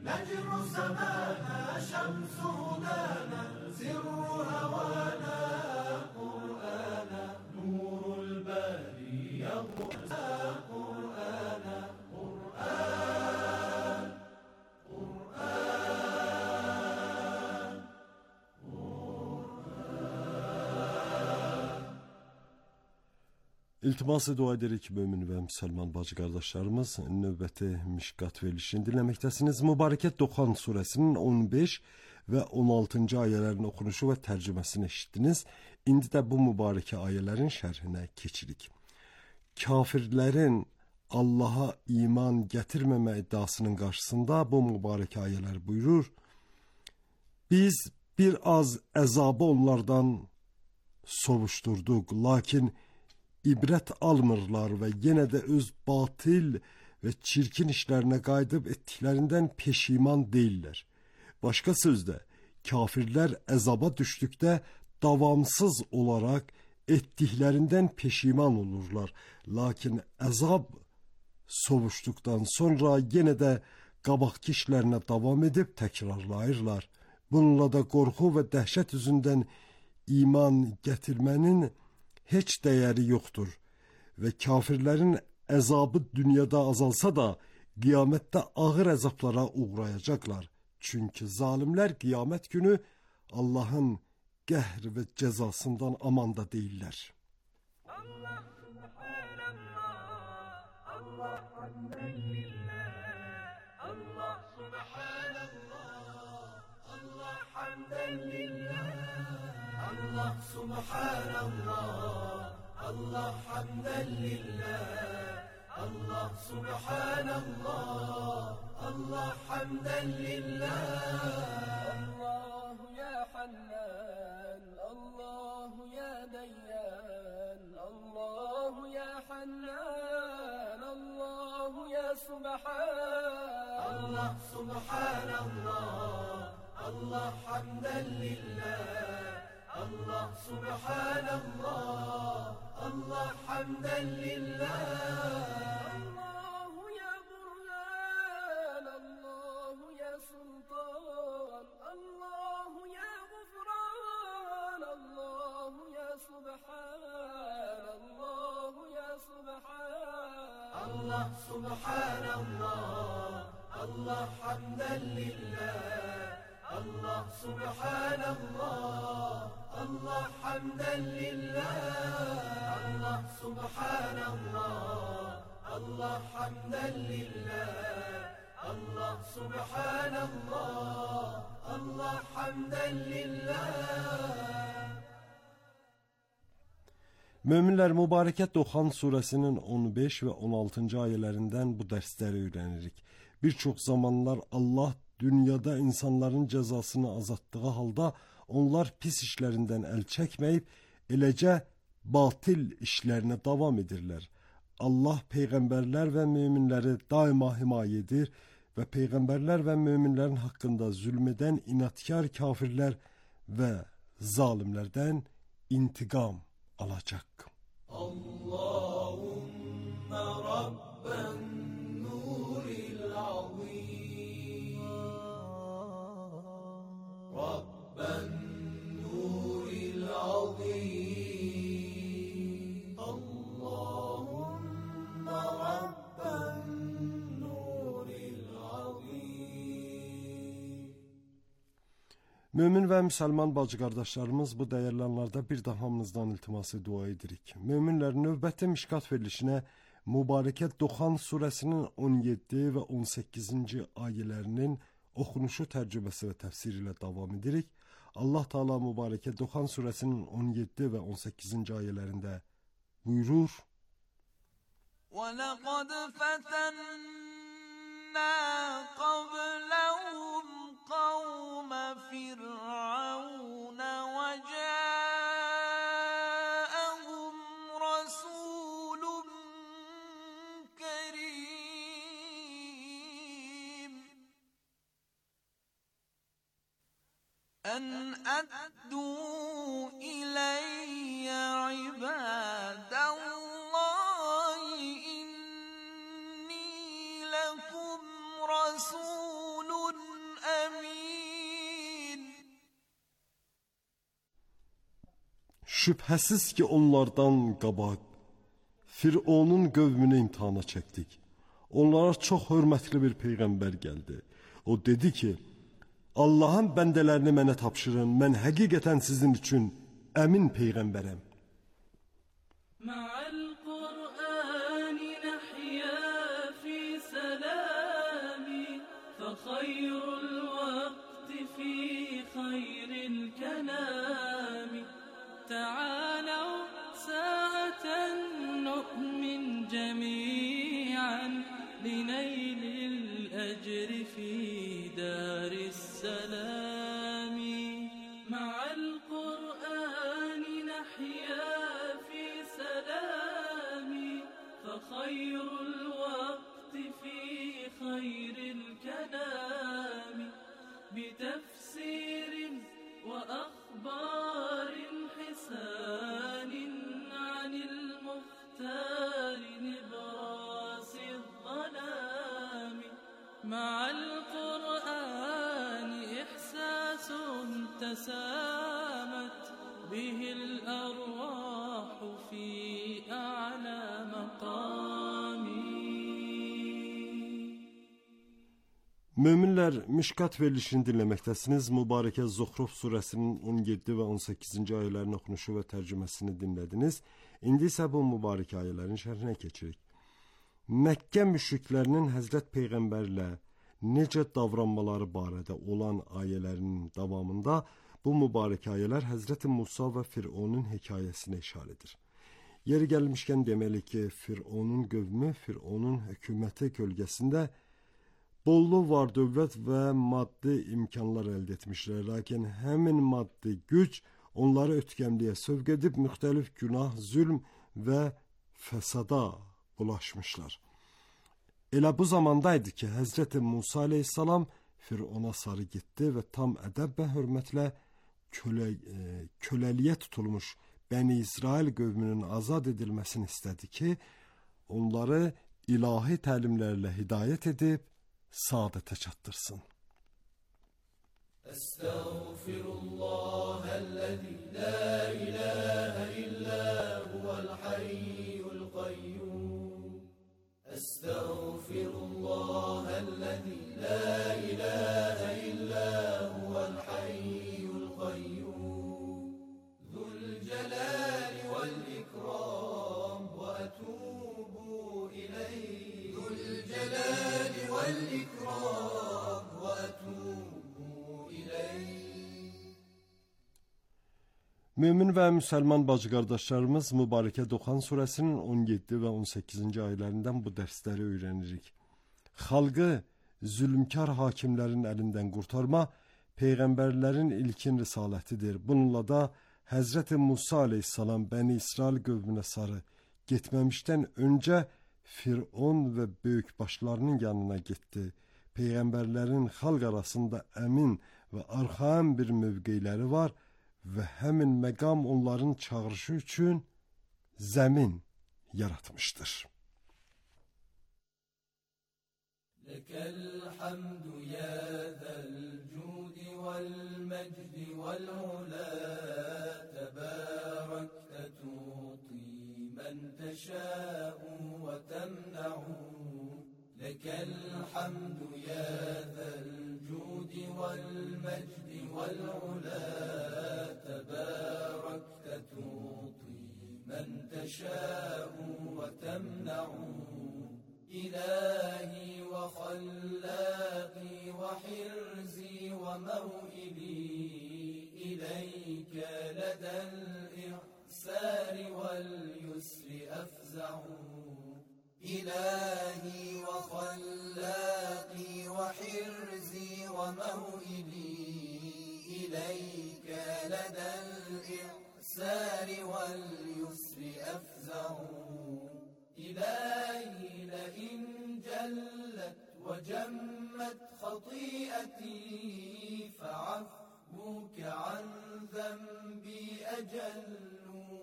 نجم سمانا شمس هدانا سر هوانا قرآنا نور الباري يضحى قرآنا قرآن قرآن قرآن. İltimas dua ederek mümin ve Müslüman bacı kardeşlerimiz, növbəti Mişqat verilişini dinləməkdəsiniz. Mübarəkət Doğan suresinin 15 ve 16. ayələrin okunuşu ve tərcüməsini eşitdiniz. İndi də bu mübarək ayələrin şərhinə keçirik. Kafirlərin Allah'a iman gətirməmə iddiasının qarşısında bu mübarək ayələr buyurur: Biz bir az əzabı onlardan sovuşdurduq, lakin İbrət almırlar və yenə də öz batil və çirkin işlərinə qayıdıb etdiklərindən peşiman deyirlər. Başqa sözlə, kafirlər əzaba düşdükdə davamsız olaraq etdiklərindən peşiman olurlar. Lakin əzab sovuşduqdan sonra yenə də qabaqki işlərinə davam edib təkrarlayırlar. Bununla da qorxu və dəhşət üzündən iman gətirmənin heç dəyəri yoxdur və kafirlərin əzabı dünyada azalsa da qiyamətdə ağır əzablara uğrayacaqlar. Çünki zalimlər qiyamət günü Allahın qəhr və cəzasından amanda deyirlər. Allah subhanallah, Allah hamdəlillah, Allah subhanallah, Allah hamdəlillah. Allah subhanallah, Allah hamdan lillah. Allah subhanallah, Allah hamdan lillah. Allahu ya Hannan, Allahu ya Dayyan, Allahu ya Hannan, Allahu ya Subhan. Allah subhanallah, Allah hamdan lillah. Allah subhanallah, Allah hamdan lillah. Allahu ya Burhan, Allahu ya Sultan, Allahu ya Gufran, Allahu ya Subhan, Allahu ya Subhan. Allah subhanallah, Allah hamdan lillah. Allah subhanallah, Allah hamdan lillah. Allah subhanallah, Allah hamdan lillah. Allah subhanallah, Allah hamdan lillah. Möminlər, Mübarəkət Doğan suresinin 15 ve 16. ayələrindən bu dərsləri öyrənirik. Bir çox zamanlar Allah dünyada insanların cəzasını azaltdığı halda onlar pis işlərindən əl çəkməyib, eləcə batil işlərinə davam edirlər. Allah peyğəmbərlər və möminləri daima himayə edir və peyğəmbərlər və möminlərin haqqında zülm edən inatkar kafirlər və zalimlərdən intiqam alacaq. Allahümme Rabben nuril azim, Rabben nuril azim, Allahümme Rabben nuril azim. Mömin və müsəlman bacı qardaşlarımız, bu dəyərli anlarda bir də hamınızdan iltiması dua edirik. Möminlərin növbəti Mişqat verilişinə Mübarəkət Doğan suresinin 17 və 18. ayələrinin oxunuşu, tərcüməsi və təfsiri ilə davam edirik. Allah Teala Mübarəkət Doğan suresinin 17 və 18. ayələrində buyurur: وَلَقَدْ فَتَنَّا قَبْلَهُمْ قَوْمَ فِرْعَوْنَ وَجَاءَهُمْ رَسُولٌ كَرِيمٌ أَنْ أَدُّوا إِلَيَّ عِبَادَ اللَّهِ إِنِّي لَكُمْ رَسُولٌ Şübhəsiz ki onlardan qabaq Fironun qövmünü imtihana çəkdik. Onlara çox hörmətli bir peyğəmbər gəldi. O dedi ki, Allahın bəndələrini mənə tapşırın, mən həqiqətən sizin üçün əmin peyğəmbərəm. لنيل الأجر في دار السلام مع القرآن نحيا في سلام فخير الوقت في خير الكلام بتفسير وأخبار حسان عن المختار نبراس الظلام مع القرآن إحساس تسامت به الأرواح في أعلى مقام. Möminlər, Mişkat verilişini dinləməkdəsiniz. Mübarəkə Zuhruf surəsinin 17 və 18-ci ayələrin oxunuşu və tərcüməsini dinlədiniz. İndi isə bu mübarək ayələrin şərhinə keçirik. Məkkə müşriklərinin Həzrət Peyğəmbərlə necə davranmaları barədə olan ayələrinin davamında bu mübarək ayələr Həzrət Musa və Fironun hekayəsinə işarə edir. Yeri gəlmişkən deməli ki, Fironun qövmü, Fironun hökuməti kölgəsində bollu var dövlət və maddi imkanlar əldə etmişlər. Lakin həmin maddi güc onları ötkəmliyə sövq edib müxtəlif günah, zülm və fəsada bulaşmışlar. Elə bu zamandaydı ki, Həzrət Musa aleyhissalam Firona sarı getdi və tam ədəb və hörmətlə köləliyə tutulmuş Bəni İsrail qövmünün azad edilməsini istədi ki, onları ilahi təlimlərlə hidayət edib saadətə çatdırsın. Estağfirullahəl-ləzi la ilahə illə huvəl-hayyul qayyum. Estağfirullahəl-ləzi la ilahə illə huvəl-hayyul qayyum. Zülcəlali vəl-ikram və ətubu iləyh. Zülcəlali vəl-ikram və ətubu iləyh. Mümin və müsəlman bacı-qardaşlarımız Mübarəkə Duxan surəsinin 17 və 18-ci ayələrindən bu dərsləri öyrənirik. Xalqı zülmkar hakimlərin əlindən qurtarma peyğəmbərlərin ilkin risalətidir. Bununla da Həzrət Musa aleyhissalam Bəni İsrail qövmünə sarı getməmişdən öncə Firon və böyükbaşlarının yanına getdi. Peyğəmbərlərin xalq arasında əmin və arxaim bir mövqeyləri var və həmin məqam onların çağırışı üçün zəmin yaratmışdır. Ləkəl hamdu ya zəl cudi vəl məcdi vəl ulə təbərəkdə tuti mən təşəu və təmnəu. Ləkəl hamdu ya zəl cudi vəl məcdi vəl ulə تباركت تعطي من تشاء وتمنع إلهي وخلاقي وحرزي وموئلي إليك لدى الإعسار واليسر أفزع إلهي وخلاقي وحرزي وموئلي إليك لدى الإعسار واليسر أفزع إلهي لئن جلت وجمت خطيئتي فعفوك عن ذنبي أجل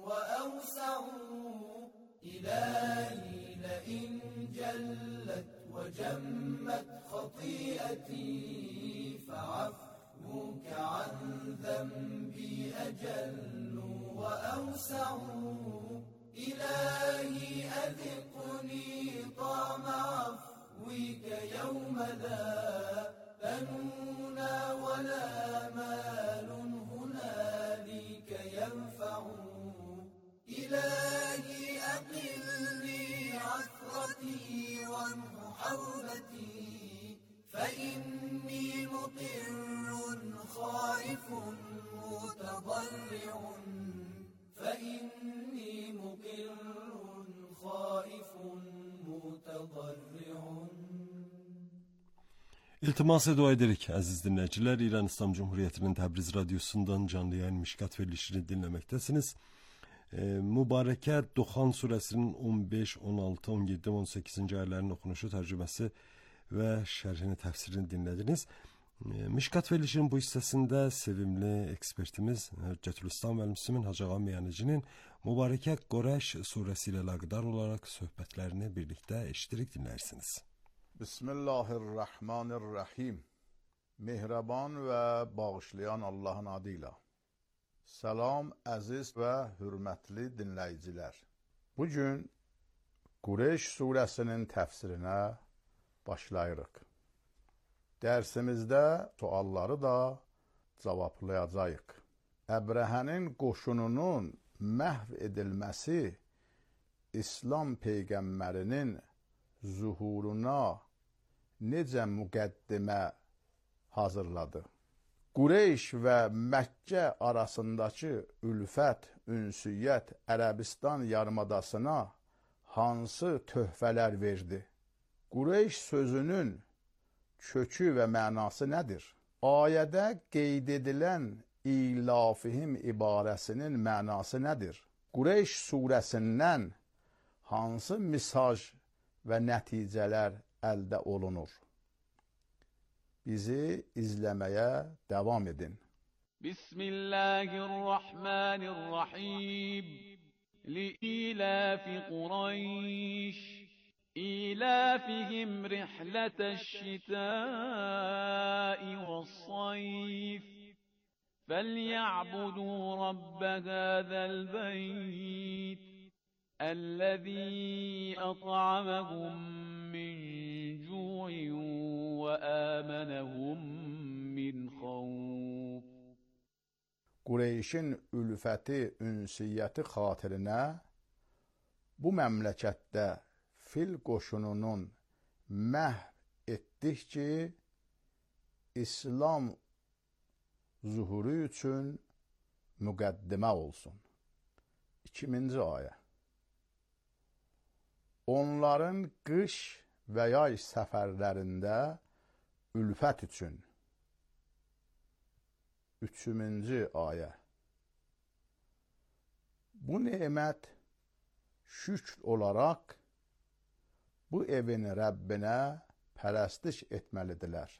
وأوسع إلهي لئن جلت وجمت خطيئتي فعفوك عن ذنبي أجل وأوسع إلهي أذقني طعم عفوك يوم لا بنون ولا مال هنالك ينفع إلهي أقلني عثرتي وامح حوبتي فإني مقر خائف متضرع فإني مقر خائف متضرع. İltimas dua edirik aziz dinleyiciler. İran İslam Cumhuriyeti'nin Təbriz Radyosu'ndan canlı yayın Mişkat verilişini dinlemektesiniz. Mübareke Duhan suresinin 15, 16, 17, 18. ayetlerinin okunuşu, tercümesi ve şerhini, tefsirini dinlediniz. Mişkat verilişinin bu hissesinde sevimli ekspertimiz Hüccetülislam ve Müslümin Hacı Ağa Meyanici'nin Mübareke Qureyş suresiyle alakadar olarak sohbetlerini birlikte eşittirip dinlersiniz. Bismillahirrahmanirrahim. Mehraban ve bağışlayan Allah'ın adıyla. Salam əziz ve hürmetli dinleyiciler. Bugün Qureyş suresinin tefsirine başlayırıq. Dersimizde sualları da cevaplayacağıq. Əbrəhənin qoşununun məhv edilməsi İslam peyğəmbərinin zuhuruna necə müqəddimə hazırladı? Qureyş və Məkkə arasındakı ülfət, ünsiyyət Ərəbistan yarımadasına hansı töhfələr verdi? Qureyş sözünün kökü və mənası nədir? Ayədə qeyd edilən ilafihim ibarəsinin mənası nədir? Qureyş surəsindən hansı mesaj və nəticələr əldə olunur? Bizi izləməyə davam edin. Bismillahirrahmanirrahim. Li'ilafi Qurayş إيلافهم رحلة الشتاء والصيف فليعبدوا رب هذا البيت الذي أطعمهم من جوع وآمنهم من خوف. Qureyşin ülfəti, ünsiyyəti xatirinə bu məmləkətdə fil qoşununun məhv etdik ki, İslam zuhuru üçün müqəddimə olsun. 2-ci ayə. Onların qış və yay səfərlərində ülfət üçün. 3-cü ayə. Bu nemət şükr olaraq bu evin Rəbbinə pərəstiş etməlidirlər.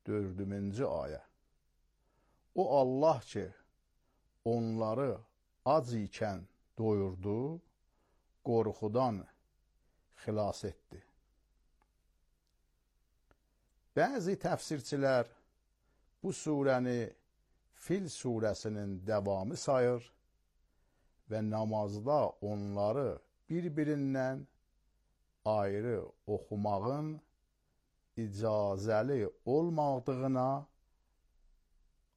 4-cü ayə. O Allah ki, onları ac ikən doyurdu, qorxudan xilas etdi. Bəzi təfsirçilər bu surəni Fil surəsinin davamı sayır və namazda onları bir-birindən ayrı oxumağın icazəli olmadığına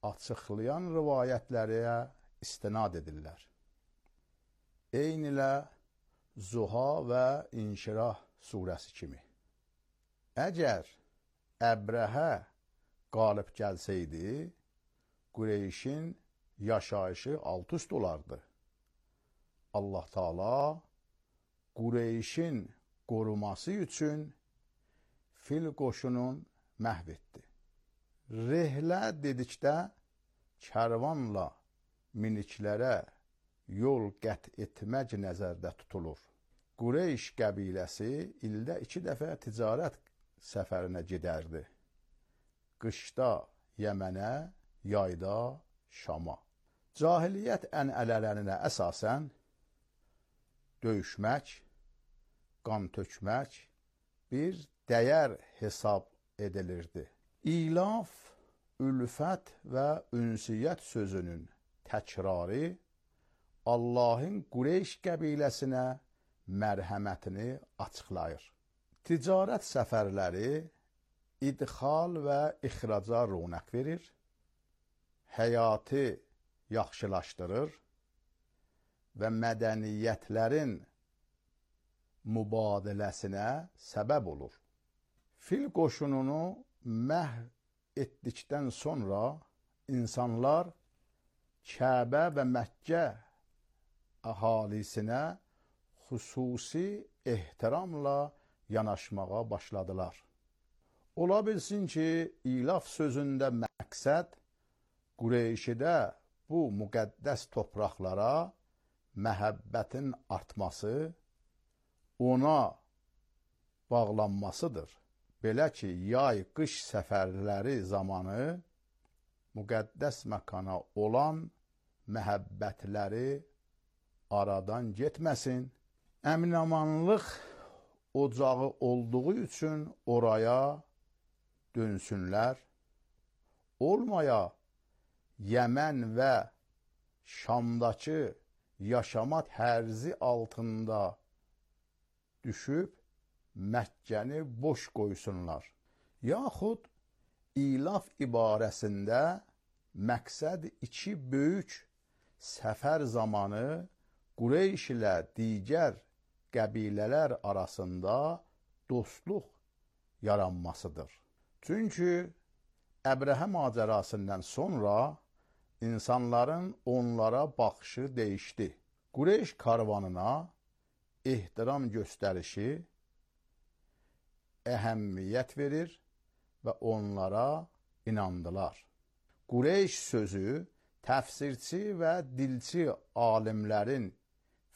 açıqlayan rivayətlərə istinad edirlər. Eynilə Zuha və İnşirah surəsi kimi. Əgər Əbrəhə qalib gəlsəydi, Qureyşin yaşayışı alt-üst olardı. Allah Taala Qureyşin qoruması üçün fil qoşunun məhv etdi. Rehlə dedikdə kərvanla miniklərə yol qət etmək nəzərdə tutulur. Qureyş qəbiləsi ildə 2 dəfə ticarət səfərinə gedərdi. Qışda Yəmənə, yayda Şama. Cahiliyyət ənənələrinə əsasən döyüşmək, qan tökmək bir dəyər hesab edilirdi. İlaf, ülfət və ünsiyyət sözünün təkrarı Allahın Qureyş qəbiləsinə mərhəmətini açıqlayır. Ticarət səfərləri idxal və ixraca ronaq verir, həyatı yaxşılaşdırır və mədəniyyətlərin mübadiləsinə səbəb olur. Fil qoşununu məhv etdikdən sonra insanlar Kəbə və Məkkə əhalisinə xüsusi ehtiramla yanaşmağa başladılar. Ola bilsin ki, ilaf sözündə məqsəd Qureyşidə bu müqəddəs torpaqlara məhəbbətin artması, ona bağlanmasıdır. Belə ki, yay-qış səfərləri zamanı müqəddəs məkana olan məhəbbətləri aradan getməsin. Əmin-amanlıq ocağı olduğu üçün oraya dönsünlər. Olmaya Yəmən və Şamdakı yaşama tərzi altında düşüb Məkkəni boş qoysunlar. Yaxud İlaf ibarəsində məqsəd iki böyük səfər zamanı Qureyş ilə digər qəbilələr arasında dostluq yaranmasıdır. Çünki Əbrəhə macərasından sonra insanların onlara baxışı dəyişdi. Qureyş karvanına ehtiram göstərişi əhəmiyyət verir və onlara inandılar. Qureyş sözü təfsirçi və dilçi alimlərin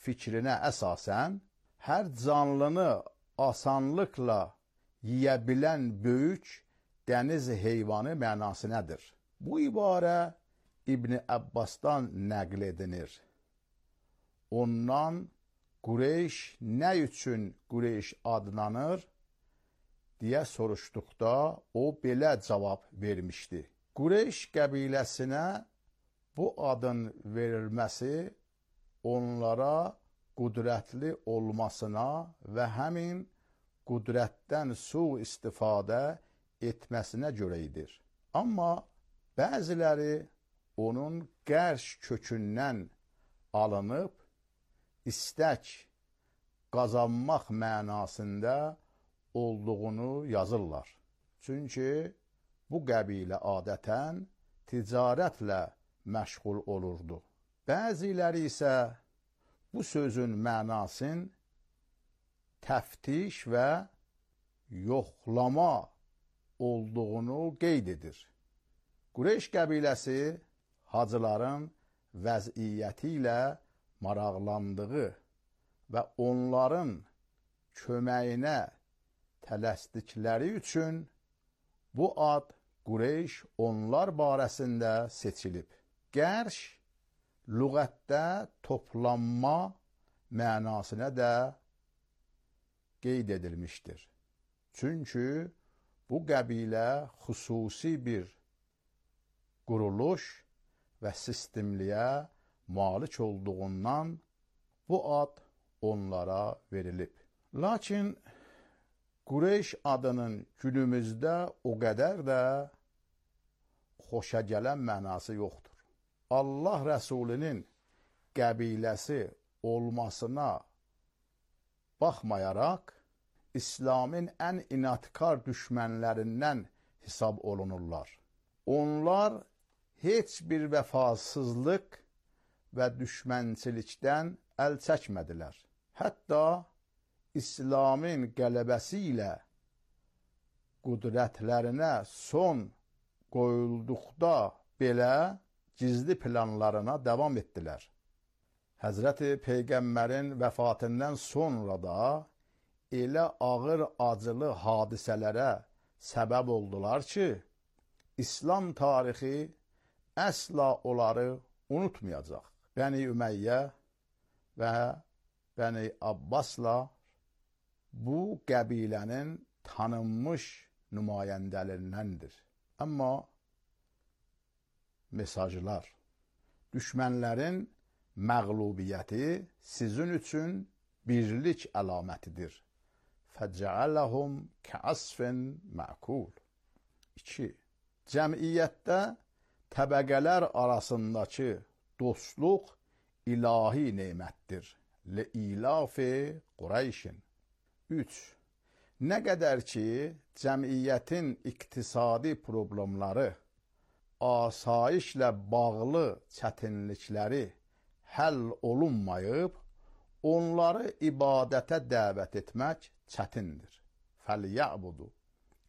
fikrinə əsasən hər canlını asanlıqla yeyə bilən böyük dəniz heyvanı mənasındadır. Bu ibarə İbn Abbasdan nəql edilir. Ondan Qureyş nə üçün Qureyş adlanır deyə soruşduqda o belə cavab vermişdi. Qureyş qəbiləsinə bu adın verilməsi onlara qüdrətli olmasına və həmin qüdrətdən sui-istifadə etməsinə görə idir. Amma bəziləri onun qərş kökündən alınıb istək qazanmaq mənasında olduğunu yazırlar. Çünki bu qəbilə adətən ticarətlə məşğul olurdu. Bəziləri isə bu sözün mənasını təftiş və yoxlama olduğunu qeyd edir. Qureyş qəbiləsi hacıların vəziyyəti ilə maraqlandığı və onların köməyinə tələsdikləri üçün bu ad Qureyş onlar barəsində seçilib. Qərş lüğətdə toplanma mənasına da qeyd edilmişdir. Çünki bu qəbilə xüsusi bir quruluş və sistemliyə malik olduğundan bu ad onlara verilib. Lakin Qureyş adının günümüzdə o qədər də xoşa gələn mənası yoxdur. Allah Rəsulinin qəbiləsi olmasına baxmayaraq, İslamın ən inatkar düşmənlərindən hesab olunurlar. Onlar heç bir vəfasızlıq və düşmənçilikdən əl çəkmədilər. Hətta İslamın qələbəsi ilə qüdrətlərinə son qoyulduqda belə gizli planlarına davam etdilər. Həzrəti Peyğəmbərin vəfatından sonra da elə ağır acılı hadisələrə səbəb oldular ki, İslam tarixi əsla onları unutmayacaq. Bəni Ümeyyə və Bəni Abbasla bu qəbilənin tanınmış nümayəndələrindəndir. Amma mesajlar düşmənlərin məğlubiyyəti sizin üçün birlik əlamətidir. Fəcəələhum kəasfin mə'kul. 2. Cəmiyyətdə təbəqələr arasındakı dostluq ilahi nemətdir. Li-ilafi Qureyşin. 3. Nə qədər ki, cəmiyyətin iqtisadi problemləri, asayişlə bağlı çətinlikləri həll olunmayıb, onları ibadətə dəvət etmək çətindir. Fəlyə'budu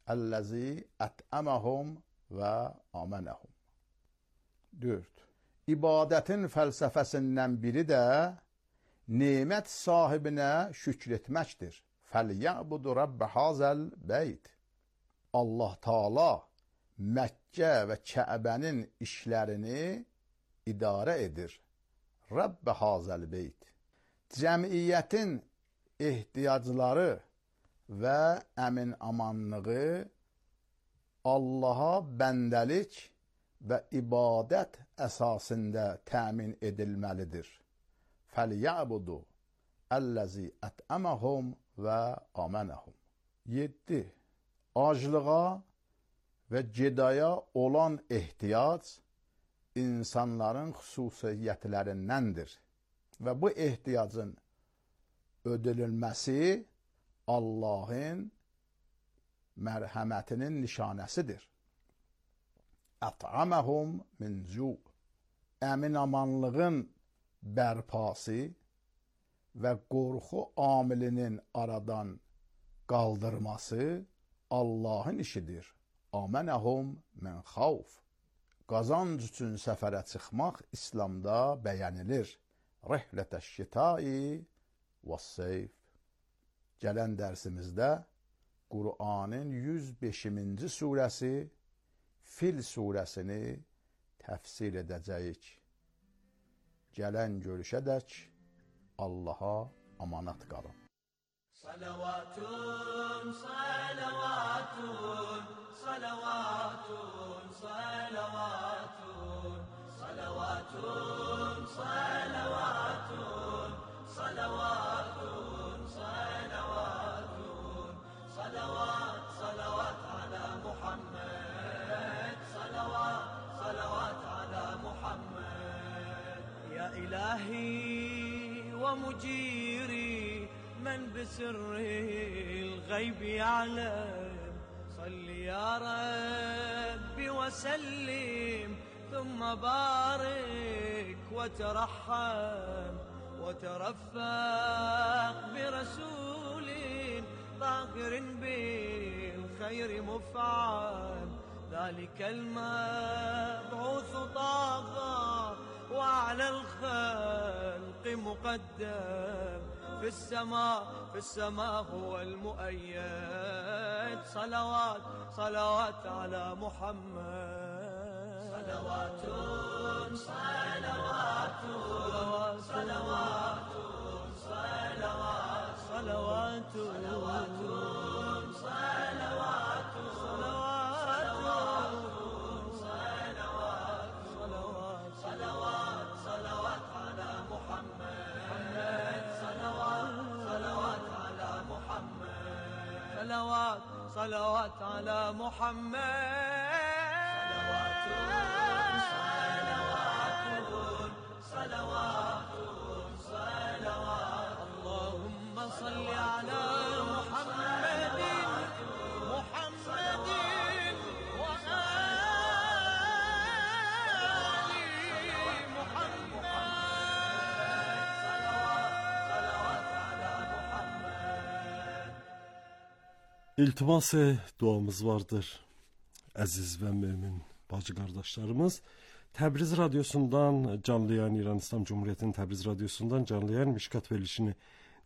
əlləzi ətəməhum və amənəhum. 4. İbadətin fəlsəfəsindən biri də nemət sahibinə şükr etməkdir. Fəlyə'budu Rabbə hazəl beyt. Allah Taala Məkkə və Kəbənin işlərini idarə edir. Rabbə hazəl beyt. Cəmiyyətin ehtiyacları və əmin-amanlığı Allaha bəndəlik və ibadət əsasında təmin edilməlidir. Fəlyə'budu əlləzi ətəməhum və amənəhum. 7. Aclığa və gedaya olan ehtiyac insanların xüsusiyyətlərindəndir və bu ehtiyacın ödənilməsi Allahın mərhəmətinin nişanəsidir. Ət'aməhum min cu. Əmin-amanlığın bərpası və qorxu amilinin aradan qaldırması Allahın işidir. Amənəhum min xavf. Qazanc üçün səfərə çıxmaq İslamda bəyənilir. Rihlətəş-şitai və-seyf. Gələn dərsimizdə Qur'anın 105-ci surəsi Fil surəsini təfsir edəcəyik. Gələn görüşədək Allaha amanat qalın. Salavatun, salavatun, salavatun, salavatun, salavatun, salavatun, salavatun, salavatun, salavat, salavat ala Muhammed, salavat, salavat ala Muhammed. Ya ilahi wa mujiri من بسر الغيب يعلم صل يا ربي وسلم ثم بارك وترحم وترفق برسول ظاهر بالخير مفعم ذلك المبعوث طاغى وعلى الخلق مقدم في السماء هو المؤيد صلوات صلوات على محمد صلوات صلوات صلوات صلوات صلوات صلوات صلوات صلوات صلوات على محمد صلوات على محمد صلوات صلوات على محمد صلوات صلوات اللهم صل على محمد محمد İltimas-ı duamız vardır. Əziz və mömin bacı qardaşlarımız, Təbriz radiosundan canlı yayın, İran İslam Cumhuriyyətinin Təbriz radiosundan canlı yayın Mişkat verilişini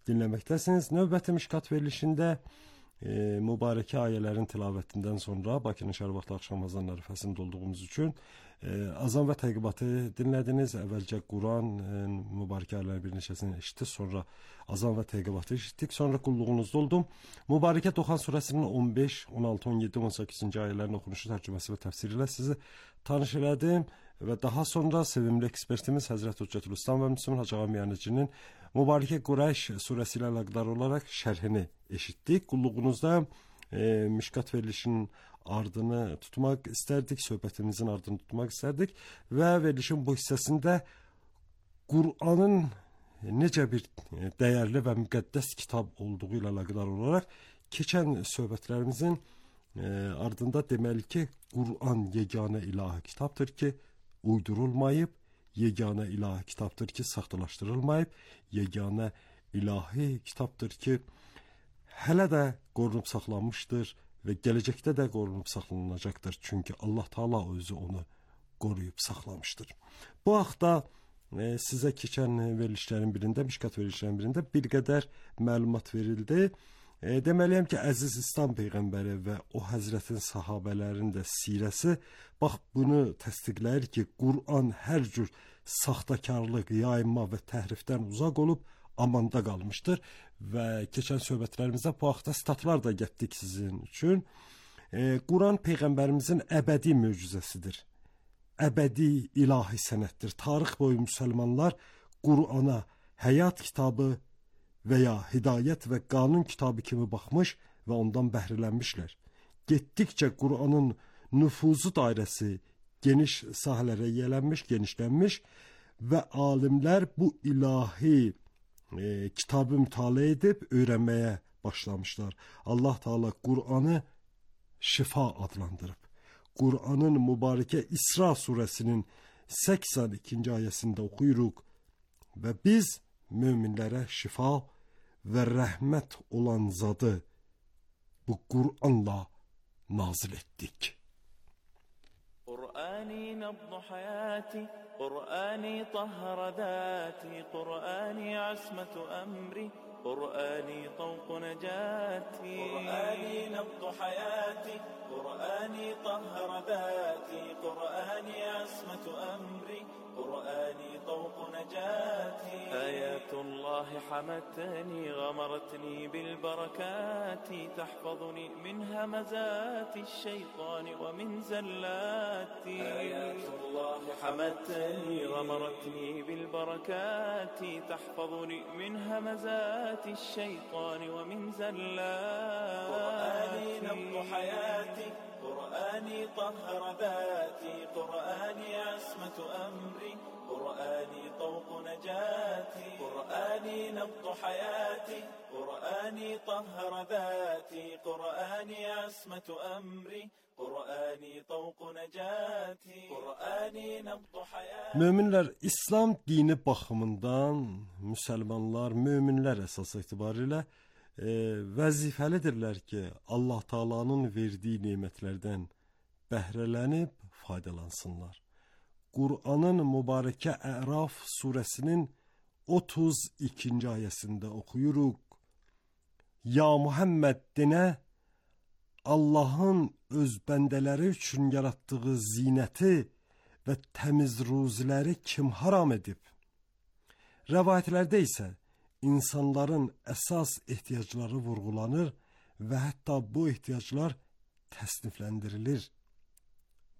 dinləməkdəsiniz. Növbəti Mişkat verilişində mübarəkə ayələrin tilavətindən sonra Bakının şəhər vaxtı axşam azan ərəfəsində olduğumuz üçün azan və təqibatı dinlədiniz. Əvvəlcə Quran mübarəkə ayələrin bir neçəsini eşitdik, sonra azan və təqibatı eşitdik, sonra qulluğunuzda oldum. Mübarəkə Toxan surəsinin 15, 16, 17, 18-ci ayələrin oxunuşu, tərcüməsi və təfsiri ilə sizi tanış elədim və daha sonra sevimli ekspertimiz Həzrət Hüccətülislam və Müslüman Hacı Ağa Miyanəçinin Mübarəkə Qureyş surəsi ilə əlaqədar olaraq şərhini eşitdik. Qulluğunuzda Mişkat verilişinin ardını tutmaq istərdik, söhbətimizin ardını tutmaq istərdik və verilişin bu hissəsində Qur'anın necə bir dəyərli və müqəddəs kitab olduğu ilə əlaqədar olaraq keçən söhbətlərimizin ardında deməli ki, Qur'an yeganə ilahi kitabdır ki, uydurulmayıb, yeganə ilahi kitabdır ki, saxtalaşdırılmayıb, yeganə ilahi kitabdır ki, hələ də qorunub saxlanmışdır və gələcəkdə də qorunub saxlanılacaqdır. Çünki Allah Taala özü onu qoruyub saxlamışdır. Bu haqda sizə keçən verilişlərin birində, Mişkat verilişlərin birində bir qədər məlumat verildi. Deməliyəm ki, əziz İslam Peyğəmbəri və o həzrətin sahabələrinin də sirəsi bax bunu təsdiqləyir ki, Qur'an hər cür saxtakarlıq, yayınma və təhrifdən uzaq olub amanda qalmışdır və keçən söhbətlərimizdə bu haqda statlar da getdik sizin üçün. Qur'an Peyğəmbərimizin əbədi möcüzəsidir. Əbədi ilahi sənətdir. Tarix boyu müsəlmanlar Qur'ana həyat kitabı və ya hidayət və qanun kitabı kimi baxmış və ondan bəhrələnmişlər. Getdikcə Qur'anın nüfuzu dairəsi geniş sahələrə yayılmış, genişlənmiş və alimlər bu ilahi kitabı mütaliə edib öyrənməyə başlamışlar. Allah Taala Qur'anı şifa adlandırıb. Qur'anın mübarəkə İsra surəsinin 82-ci ayəsində oxuyuruq və biz möminlərə şifa və rəhmət olan zadı bu Qur'anla nazil etdik. قرآني نبض حياتي قرآني طهر ذاتي قرآني عصمة أمري قرآني طوق نجاتي قرآني نبض حياتي قرآني طهر ذاتي قرآني عصمة أمري قرآني طوق نجاتي آيات الله حمتني غمرتني بالبركات تحفظني من همزات الشيطان ومن زلاتي آيات الله حمتني غمرتني بالبركات تحفظني من همزات الشيطان ومن زلاتي قرآني نبض حياتي قرآني طهر ذاتي قرآني عصمة أمري قرآني طوق نجاتي قرآني نبض حياتي قرآني طهر ذاتي قرآني عصمة أمري قرآني طوق نجاتي قرآني نبض حياتي. Möminlər İslam dini baxımından müsəlmanlar, möminlər əsas etibarilə vəzifəlidirlər ki, Allah Taala'nın verdiyi nemətlərdən bəhrələnib faydalansınlar. Qur'anın mübarəkə Əraf surəsinin 32-ci ayəsində oxuyuruq. Ya Muhammed denə, Allahın öz bəndələri üçün yaratdığı zinəti və təmiz ruziləri kim haram edib? Rəvayətlərdə isə insanların əsas ehtiyacları vurğulanır və hətta bu ehtiyaclar təsnifləndirilir.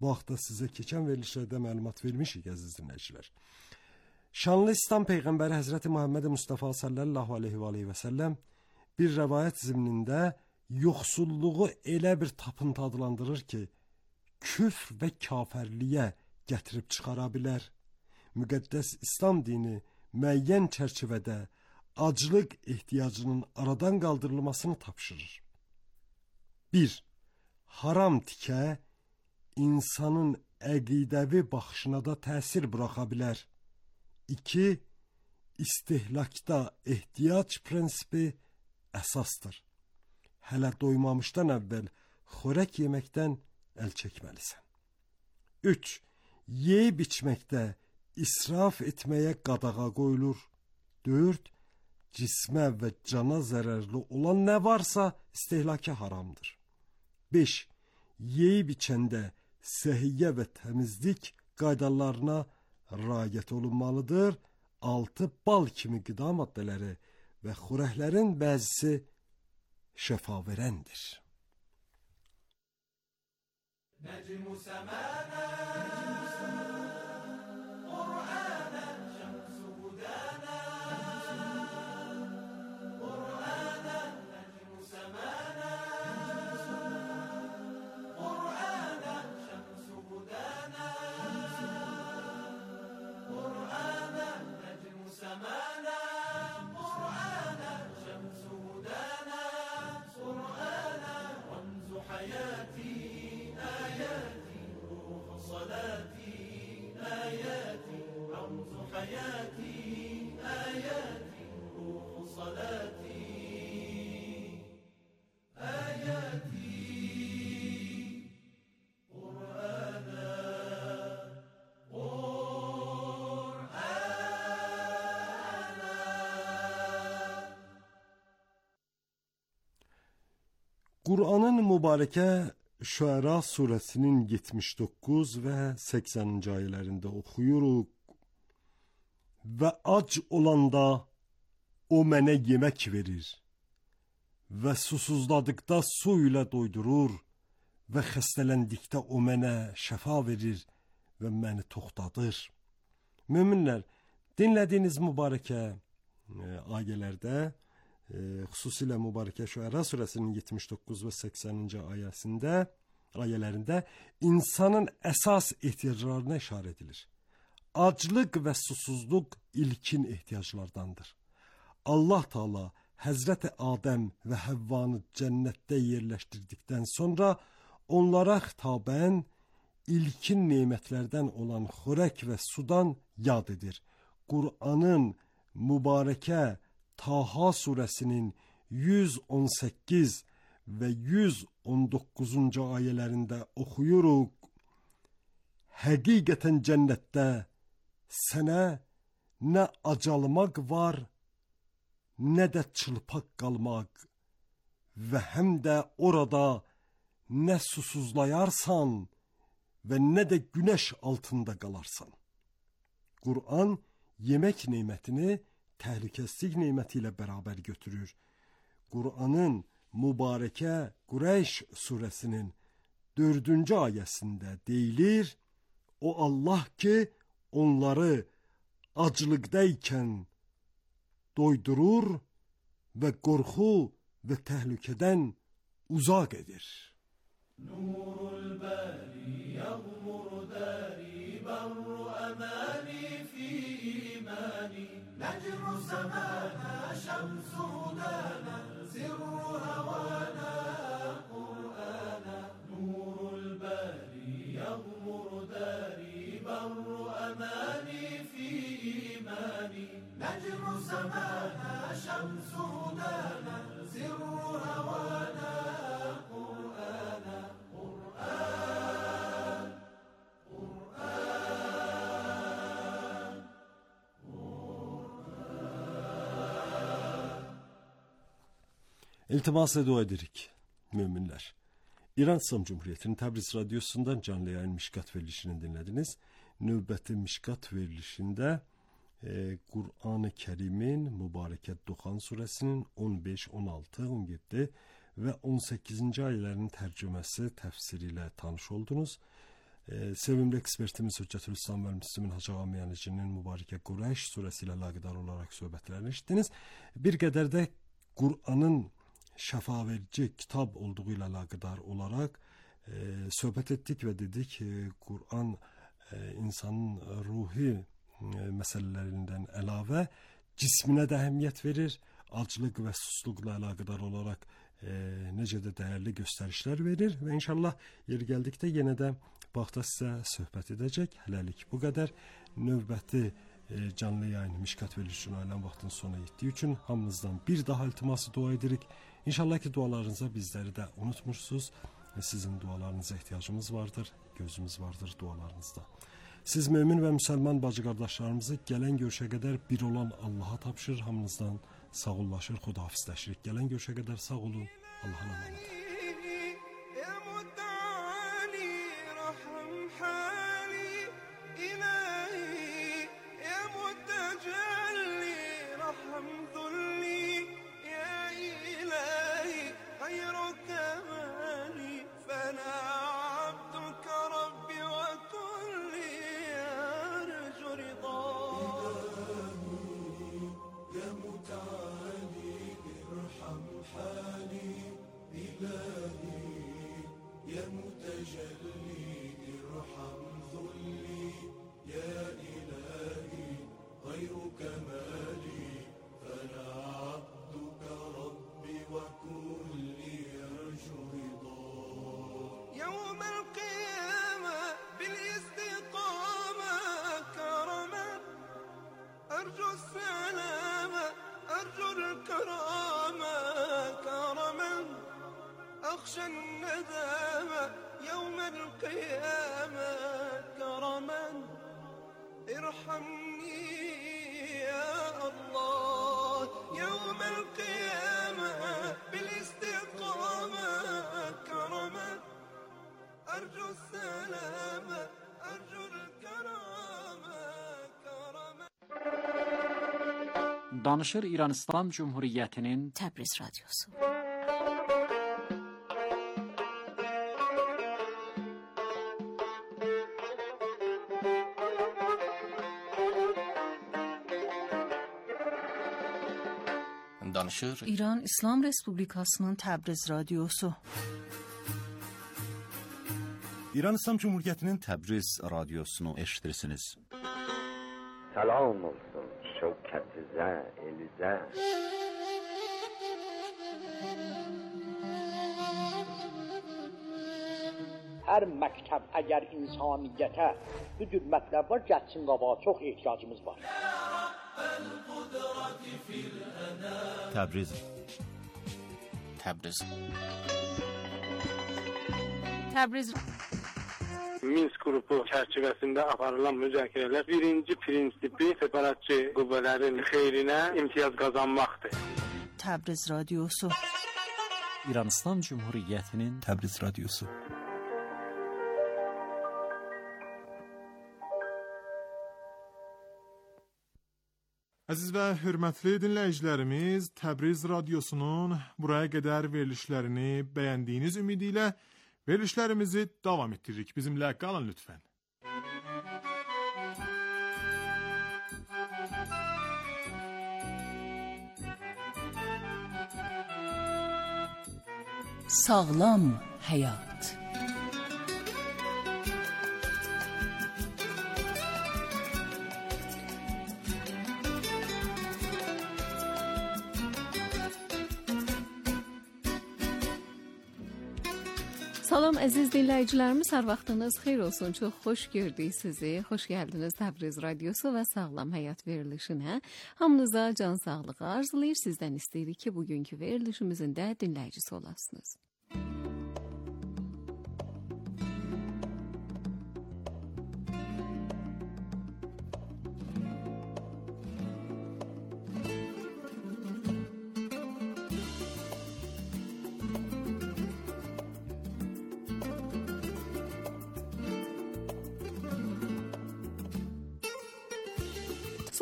Bu haqda sizə keçən verilişlərdə məlumat vermişik, əziz dinləyicilər. Şanlı İslam Peyğəmbəri Həzrəti Muhammed Mustafa sallallahu aleyhi və səlləm bir rəvayət zimnində yoxsulluğu elə bir tapıntı adlandırır ki, küfr və kafirliyə gətirib çıxara bilər. Müqəddəs İslam dini müəyyən çərçivədə aclıq ehtiyacının aradan qaldırılmasını tapşırır. 1. Haram tikə insanın əqidəvi baxışına da təsir buraxa bilər. 2. İstehlakda ehtiyac prinsipi əsasdır. Hələ doymamışdan əvvəl xörək yeməkdən əl çəkməlisən. 3. Yeyib içməkdə israf etməyə qadağa qoyulur. 4. Cismə və cana zərərli olan nə varsa istehlaka haramdır. 5. Yeyib içəndə səhiyyə və təmizlik qaydalarına riayət olunmalıdır. 6. Bal kimi qida maddələri və xörəklərin bəzisi şəfa verəndir. نجم سمانا Kur'an'ın mübareke Şuara suresinin 79 ve 80. ayələrində oxuyuruq. Və ac olanda o mənə yemək verir və susuzladıqda su ilə doydurur və xəstələndikdə o mənə şəfa verir və məni toxtadır. Möminlər, dinlədiyiniz mübarəkə ayələrdə, xüsusilə mübarəkə Şuara surəsinin 79 və 80. ayələrində insanın əsas ehtiyaclarına işarə edilir. Aclıq və susuzluq ilkin ehtiyaclardandır. Allah Teala Həzrəti Adəm və Həvvanı cənnətdə yerləşdirdikdən sonra onlara xitabən ilkin nemətlərdən olan xörək və sudan yad edir. Kur'an'ın mübarəkə Taha suresinin 118 ve 119. ayələrində oxuyuruq. Həqiqətən cənnətdə sənə nə acalmaq var, nə də çılpaq qalmaq və həm də orada nə susuzlayarsan və nə də günəş altında qalarsan. Kur'an yemək nemətini təhlükəsizlik neməti ilə bərabər götürür. Kur'an'ın mübarəkə Qureyş suresinin 4. ayəsində deyilir, o Allah ki onları aclıqdaykən doydurur və qorxu və təhlükədən uzaq edir. Nurul bari yağmur dari barru amani fi imani necru semana şemsu dana sirru havana Kur'ana Nurul bari yağmur dari barru amani fi imani necru semana şemsu dana sirru havana Kur'ana İltimasla dua edirik müminler. İran İslam Cumhuriyeti'nin Təbriz Radyosu'ndan canlı yayın Mişkat verilişini dinlediniz. Növbəti Mişkat verilişinde Kur'an-ı Kerim'in mübarəkət Duhan suresinin 15, 16, 17 ve 18. ayələrinin tərcüməsi, təfsiri ilə tanış oldunuz. Sevimli ekspertimiz Hüccətül İslam və Müslümin Hacı Ağamiyənicinin mübarəkə Qureyş suresi ilə əlaqədar olaraq söhbətlərini eşitdiniz. Bir qədər də Kur'an'ın şəfa verici kitab olduğu ilə əlaqədar olaraq söhbət etdik və dedik Kur'an insanın ruhi məsələlərindən əlavə cisminə də əhəmiyyət verir, aclıq və susuzluqla əlaqədar olaraq necə də dəyərli göstərişlər verir və inşallah yeri gəldikdə yenə də baxda sizə söhbət edəcək. Hələlik bu qədər. Növbəti canlı yayın Mişkat verilişinin ailən vaxtın sona yetdiyi üçün hamınızdan bir daha iltiması dua edirik. İnşallah ki dualarınıza bizləri də unutmursunuz. Sizin dualarınıza ehtiyacımız vardır, gözümüz vardır dualarınızda. Siz mümin və müsəlman bacı qardaşlarımızı gələn görüşə qədər bir olan Allaha tapşırır, hamınızdan sağollaşır, xudahafizləşirik. Gələn görüşə qədər sağ olun, Allah'a emanet. أخشى الندامة يوم القيامة كرما ارحمني يا الله يوم القيامة بالاستقامة Danışır İran İslam Cumhuriyeti'nin Təbriz Radyosu. Danışır İran İslam Respublikasının Təbriz Radyosu. İran İslam Cumhuriyeti'nin Təbriz Radyosunu eşitirsiniz. Salam olsun şevketize, elize. Hər məktəb əgər insaniyyətə bu cür mətləblər gəlsin qabağa, çox ehtiyacımız var. Təbriz. Təbriz. Təbriz Minsk qrupu çərçivəsində aparılan müzakirələr birinci prinsipi separatçı qüvvələrin xeyrinə imtiyaz qazanmaqdır. Təbriz Radyosu. İran İslam Cumhuriyeti'nin Təbriz Radyosu. Əziz və hörmətli dinləyicilərimiz, Təbriz Radyosunun buraya qədər verilişlərini bəyəndiyiniz ümidi ilə verilişlərimizi davam ettiririk. Bizimlə qalın lütfən. Sağlam həyat. Salam əziz dinləyicilərimiz, hər vaxtınız xeyir olsun. Çox xoş gördük sizi. Xoş gəldiniz Təbriz Radyosu və Sağlam Həyat verilişinə. Hamınıza can sağlığı arzulayır. Sizdən istəyirik ki, bugünkü verilişimizin də dinləyicisi olasınız.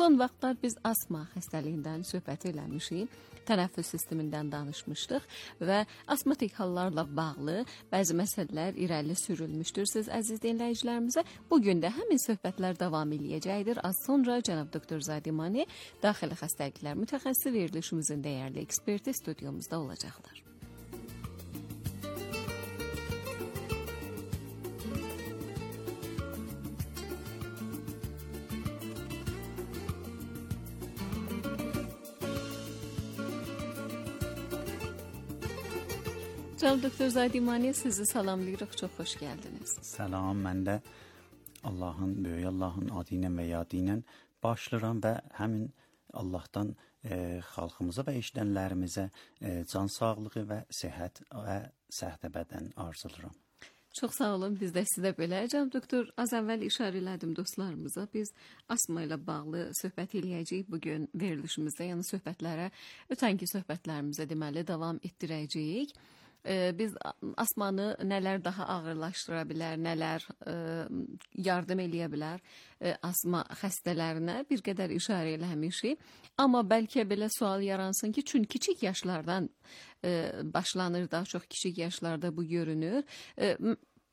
Son vaxtlar biz asma xəstəliyindən söhbət eləmişik, tənəffüs sistemindən danışmışdıq və asmatik hallarla bağlı bəzi məsələlər irəli sürülmüşdür. Siz əziz dinləyicilərimizə bugün də həmin söhbətlər davam eləyəcəkdir. Az sonra cənab doktor Zadimani, daxili xəstəliklər mütəxəssisi verilişimizin dəyərli eksperti studiyomuzda olacaqlar. Cənab doktor Zadimani, sizi salamlayırıq, çox xoş gəldiniz. Salam, mən də Allahın, böyük Allahın adı ilə və yadı ilə başlayıram və həmin Allahdan xalqımıza və eşidənlərimizə can sağlığı və səhət və səhətə bədən arzuluram. Çox sağ olun, biz də sizə belə. Cənab doktor, az əvvəl işarə elədim dostlarımıza. Biz asma ilə bağlı söhbət eləyəcəyik bugün verilişimizdə. Yəni söhbətlərə, ötənki söhbətlərimizə deməli davam etdirəcəyik. Biz asmanı nələr daha ağırlaşdıra bilər, nələr yardım eləyə bilər asma xəstələrinə bir qədər işarə eləmişik. Amma bəlkə belə sual yaransın ki, çünki kiçik yaşlardan başlanır, daha çox kiçik yaşlarda bu görünür.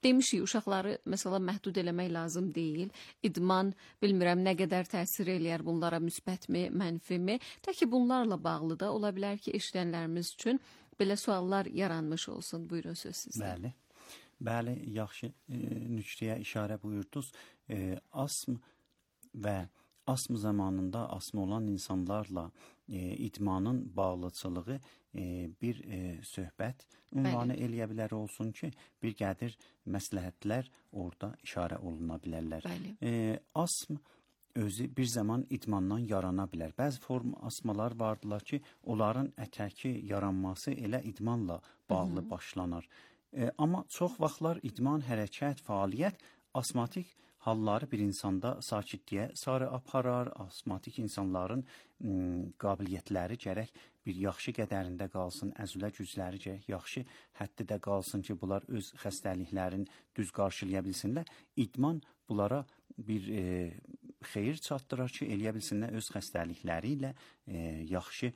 Demişik, uşaqları məsələ məhdud eləmək lazım deyil. İdman, bilmirəm nə qədər təsir eləyər bunlara, müsbətmi, mənfimi. Təki bunlarla bağlı da ola bilər ki, eşidənlərimiz üçün belə suallar yaranmış olsun. Buyurun, söz sizdə. Bəli, yaxşı nüktəyə işarə buyurdunuz. Asm və asm zamanında asm olan insanlarla idmanın bağlıcılığı bir söhbət ünvanı eləyə bilər olsun ki, bir qədir məsləhətlər orada işarə oluna bilərlər. Asm özü bir zaman idmandan yarana bilər. Bəzi form asmalar vardılar ki, onların ətəki yaranması elə idmanla bağlı başlanar. Amma çox vaxtlar idman, hərəkət, fəaliyyət asmatik halları bir insanda sakitliyə sarı aparar. Asmatik insanların qabiliyyətləri gərək bir yaxşı qədərində qalsın, əzülə gücləri gərək yaxşı həddidə qalsın ki, bunlar öz xəstəliklərini düz qarşılaya bilsinlər. İdman bunlara bir xeyir çatdırar ki, eləyə bilsinlər öz xəstəlikləri ilə yaxşı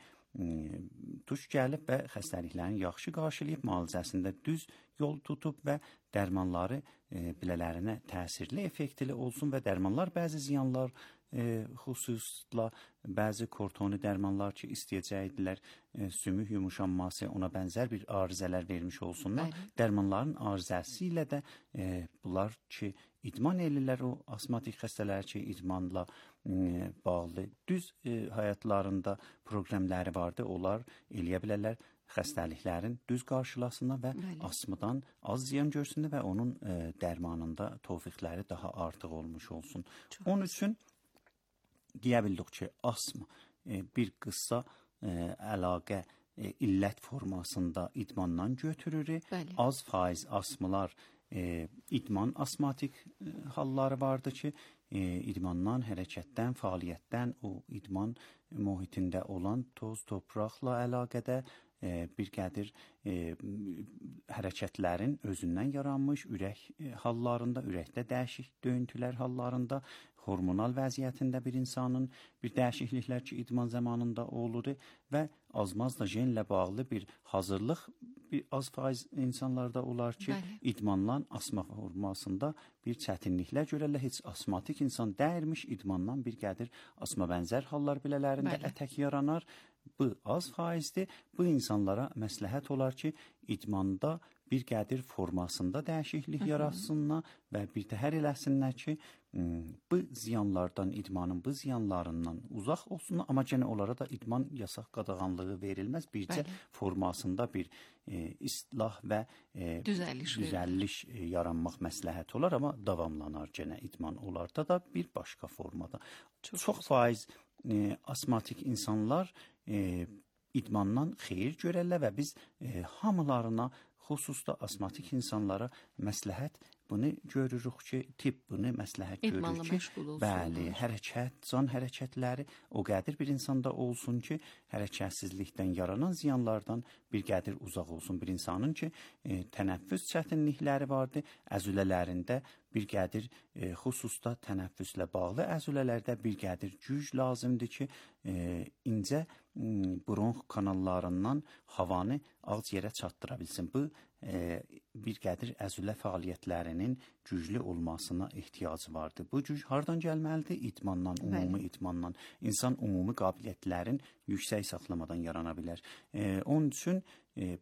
tuş gəlib və xəstəliklərini yaxşı qarşılayıb, müalicəsində düz yol tutub və dərmanları bilələrinə təsirli, effektli olsun və dərmanlar bəzi ziyanlar, xüsusla bəzi kortoni dərmanlar ki, istəyəcəkdilər, sümük yumuşanması, ona bənzər bir arızələr vermiş olsunlar. Dərmanların arızəsi ilə də bunlar ki, idman elirlər, o asmatik xəstələr ki, idmanla bağlı düz həyatlarında proqramları vardı, onlar eləyə bilərlər xəstəliklərin düz qarşılasına və asmadan az ziyan görsünlər və onun dərmanında tövfiqləri daha artıq olmuş olsun. Onun üçün deyə bildik ki, asma bir qısa əlaqə illət formasında idmandan götürür. Az faiz asmalar idman asmatik halları vardı ki, idmandan, hərəkətdən, fəaliyyətdən, o idman mühitində olan toz, topraqla əlaqədə bir qədir hərəkətlərin özündən yaranmış ürək hallarında, ürəkdə dəyişik döyüntülər hallarında, hormonal vəziyyətində bir insanın bir dəyişikliklər ki, idman zamanında olur və azmazla genlə bağlı bir hazırlıq bir az faiz insanlarda olar ki, idmandan asma formasında bir çətinliklər görərlər. Heç asmatik insan dəyirmiş, idmandan bir qədir asma bənzər hallar bilələrində ətək yaranar. Bu az faizdir. Bu insanlara məsləhət olar ki, idmanda bir qədir formasında dəyişiklik yaratsınlar və bir təhər eləsinlər ki, bu ziyanlardan, idmanın bu ziyanlarından uzaq olsunlar, amma gənə onlara da idman yasaq qadağanlığı verilməz. Bircə formasında bir islah və düzəlliş yaranmaq məsləhət olar, amma davamlanar gənə idman onlarda da bir başqa formada. Çox faiz asmatik insanlar idmandan xeyir görərlər və biz hamılarına, xüsusda asmatik insanlara məsləhət bunu görürük ki, tibb bunu məsləhət görür ki, bəli, hərəkət, can hərəkətləri o qədir bir insanda olsun ki, hərəkətsizlikdən yaranan ziyanlardan bir qədir uzaq olsun. Bir insanın ki, tənəffüs çətinlikləri vardır, əzülələrində bir qədir, xüsusda tənəffüslə bağlı əzülələrdə bir qədir güc lazımdır ki, incə bronx kanallarından havanı ağciyərə çatdıra bilsin. Bu, bir qədir əzülə fəaliyyətlərinin güclü olmasına ehtiyacı vardır. Bu güc hardan gəlməlidir? İdmandan, ümumi idmandan. İnsan ümumi qabiliyyətlərin yüksək saxlamadan yarana bilər. Onun üçün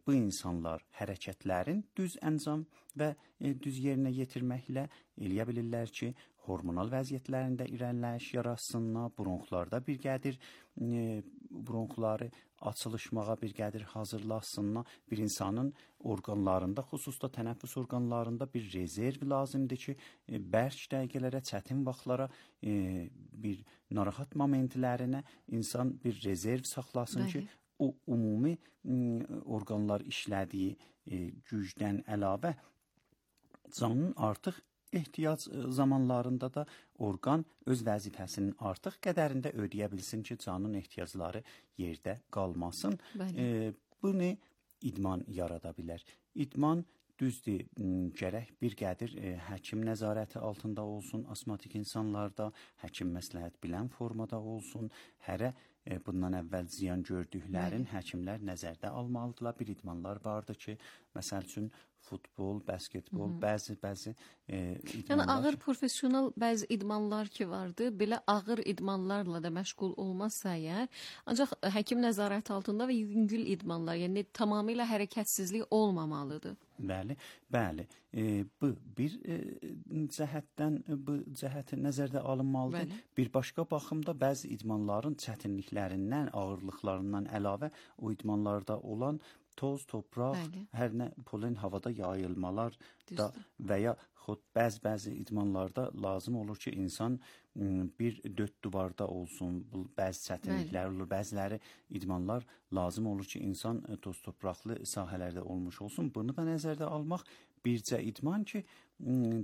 bu insanlar hərəkətlərin düz əncam və düz yerinə yetirməklə eləyə bilirlər ki, hormonal vəziyyətlərində irəliləyiş yaratsınlar, bronxlarda bir qədir bronxları açılışmağa bir qədir hazırlasınlar. Bir insanın orqanlarında, xüsusda tənəffüs orqanlarında bir rezerv lazımdır ki, bərk dəqiqələrə, çətin vaxtlara, bir narahat momentlərinə insan bir rezerv saxlasın ki, o ümumi orqanlar işlədiyi gücdən əlavə canın artıq ehtiyac zamanlarında da orqan öz vəzifəsinin artıq qədərində ödəyə bilsin ki, canın ehtiyacları yerdə qalmasın. Bunu idman yarada bilər. İdman düzdür, gərək bir qədir həkim nəzarəti altında olsun, asmatik insanlarda, həkim məsləhət bilən formada olsun, hərə bundan əvvəl ziyan gördüklərin həkimlər nəzərdə almalıdırlar. Bir idmanlar vardır ki, məsəl üçün futbol, basketbol, bəzi idmanlar. Yəni ağır professional bəzi idmanlar ki vardı, belə ağır idmanlarla da məşğul olmazsa əgər, ancaq həkim nəzarəti altında və yüngül idmanlar, yəni tamamilə hərəkətsizlik olmamalıdır. Bəli. Bu bir cəhətdən bu cəhəti nəzərdə alınmalıdır. Bir başqa baxımda bəzi idmanların çətinliklərindən, ağırlıqlarından əlavə o idmanlarda olan toz, topraq, hər nə polen havada yayılmalar da və ya bəzi idmanlarda lazım olur ki, insan bir dörd duvarda olsun, bəzi çətinliklər olur, bəziləri idmanlar lazım olur ki, insan toz, topraqlı sahələrdə olmuş olsun. Bunu da nəzərdə almaq bircə idman ki,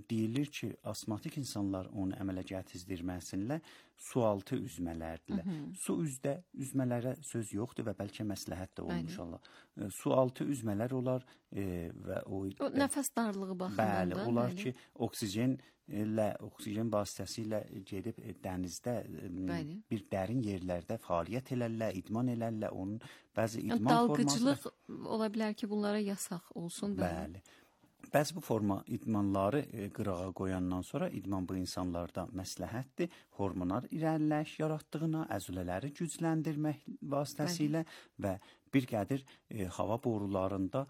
deyilir ki, asmatik insanlar onu əmələ gətizdirməsinlər, sualtı üzmələrdirlər. Su üzdə üzmələrə söz yoxdur və bəlkə məsləhət də olmuş Allah. Sualtı üzmələr olar, və o nəfəs darlığı baxımından bəli, onlar ki, oksigen vasitəsilə gedib dənizdə bir dərin yerlərdə fəaliyyət elərlər, idman elərlər, onun bəzi idman dalğıcılıq ola bilər ki, bunlara yasaq olsun. Bəli. Bəzi bu forma idmanları qırağa qoyandan sonra idman bu insanlarda məsləhətdir. Hormonal irəliləyiş yaratdığına, əzülələri gücləndirmək vasitəsilə və bir qədər hava borularında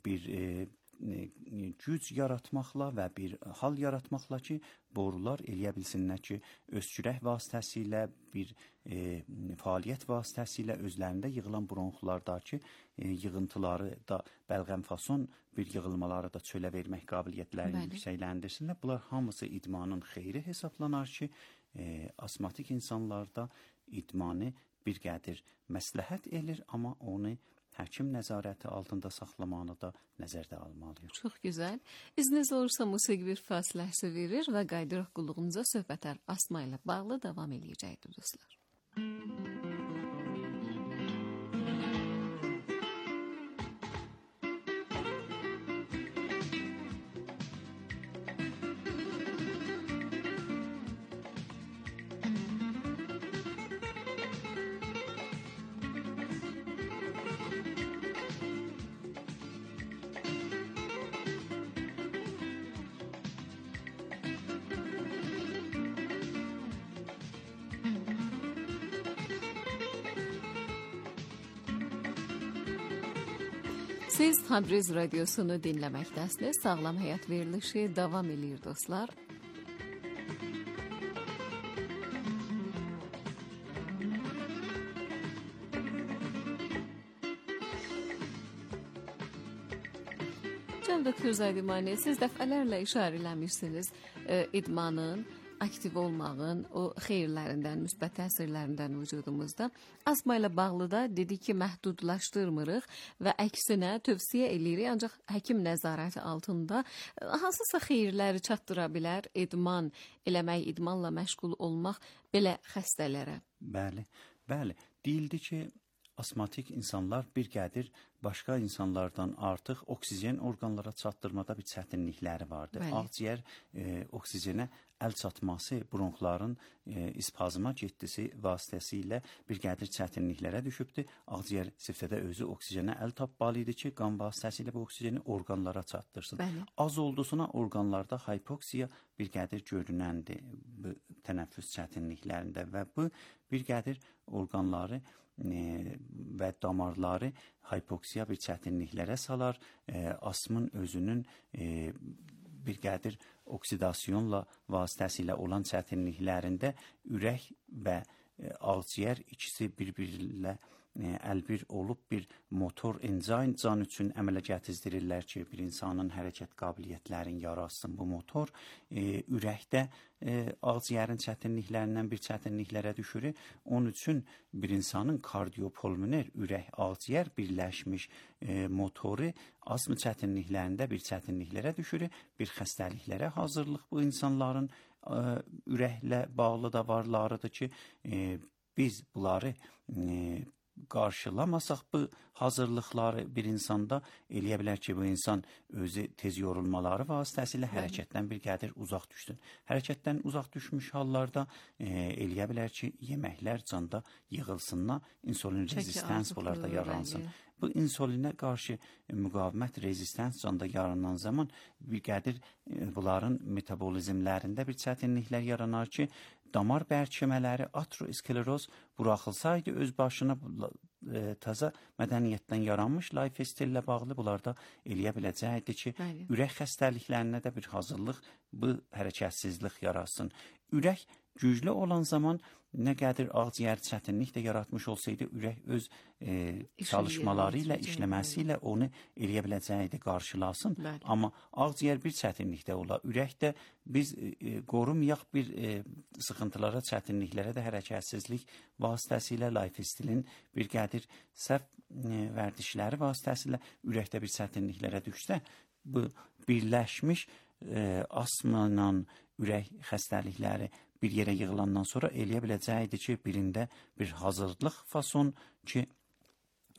bir güc yaratmaqla və bir hal yaratmaqla ki, borular eləyə bilsinlər ki, öskürək vasitəsilə, bir fəaliyyət vasitəsilə özlərində yığılan bronxlardakı yığıntıları da bəlğəm-fason bir yığılmaları da çölə vermək qabiliyyətlərini yüksəkləndirsinlər. Bunlar hamısı idmanın xeyri hesablanar ki, asmatik insanlarda idmanı bir qədər məsləhət edir, amma onu həkim nəzarəti altında saxlamanı da nəzərdə almalıyıq. Çox gözəl. İzniniz olursa musiqi bir fasiləsi verir və qayıdırıq qulluğunuza söhbətlər asma ilə bağlı davam eləyəcəkdir dostlar. Siz Təbriz radiosunu dinləməkdəsiniz. Sağlam həyat verilişi davam edir dostlar. Can doktor Zaydimani, siz dəfələrlə işarə eləmişsiniz idmanın, aktiv olmağın o xeyirlərindən, müsbət təsirlərindən vücudumuzda. Asma ilə bağlı da dedi ki, məhdudlaşdırmırıq və əksinə tövsiyə edirik, ancaq həkim nəzarəti altında hansısa xeyirləri çatdıra bilər idman eləmək, idmanla məşğul olmaq belə xəstələrə. Bəli, bəli. Deyildi ki, asmatik insanlar bir qədir başqa insanlardan artıq oksigen orqanlara çatdırmada bir çətinlikləri vardır. Ağciyər oksigenə əl çatması, bronxların ispazma getdisi vasitəsilə bir qədir çətinliklərə düşübdür. Ağciyər sifətdə özü oksigenə əl tapmalı idi ki, qan vasitəsilə bu oksijeni orqanlara çatdırsın. Az olduğuna orqanlarda hipoksiya bir qədir görünəndir bu tənəffüs çətinliklərində və bu bir qədir orqanları və damarları hipoksiya bir çətinliklərə salar. Asmın özünün bir qədir oksidasyonla vasitəsilə olan çətinliklərində ürək və ağciyər ikisi bir-birlə əlbir olub bir motor enzaym can üçün əmələ gətizdirirlər ki, bir insanın hərəkət qabiliyyətlərini yaratsın bu motor. Ürəkdə ağciyərin çətinliklərindən bir çətinliklərə düşür. Onun üçün bir insanın kardiopulmoner ürək ağciyər birləşmiş motoru asma çətinliklərində bir çətinliklərə düşür. Bir xəstəliklərə hazırlıq bu insanların ürəklə bağlı da varlarıdır ki, biz bunları qarşılamasaq bu hazırlıqları bir insanda eləyə bilər ki, bu insan özü tez yorulmaları vasitəsilə hərəkətdən bir qədir uzaq düşsün. Hərəkətdən uzaq düşmüş hallarda eləyə bilər ki, yeməklər canda yığılsınlar, insulin rezistans bunlarda yaransın. Bu insulinə qarşı müqavimət rezistans canda yaranan zaman bir qədir bunların metabolizmlərində bir çətinliklər yaranar ki, damar bərkimələri, ateroskleroz buraxılsaydı öz başına təzə mədəniyyətdən yaranmış life style ilə bağlı bunlarda eləyə biləcəkdir ki, ürək xəstəliklərinə də bir hazırlıq, bu hərəkətsizlik yaratsın. Ürək güclü olan zaman nə qədir ağciyər çətinlik də yaratmış olsaydı, ürək öz çalışmaları ilə, işləməsi ilə onu eləyə biləcəkdir, qarşılasın. Amma ağciyər bir çətinlikdə ola, ürəkdə biz qorumayaq bir sıxıntılara, çətinliklərə də hərəkətsizlik vasitəsilə life stylin bir qədir səhv vərdişləri vasitəsilə ürəkdə bir çətinliklərə düşsə, bu birləşmiş asma ilə ürək xəstəlikləri bir yerə yığılandan sonra eləyə biləcəkdir ki, birində bir hazırlıq fason ki,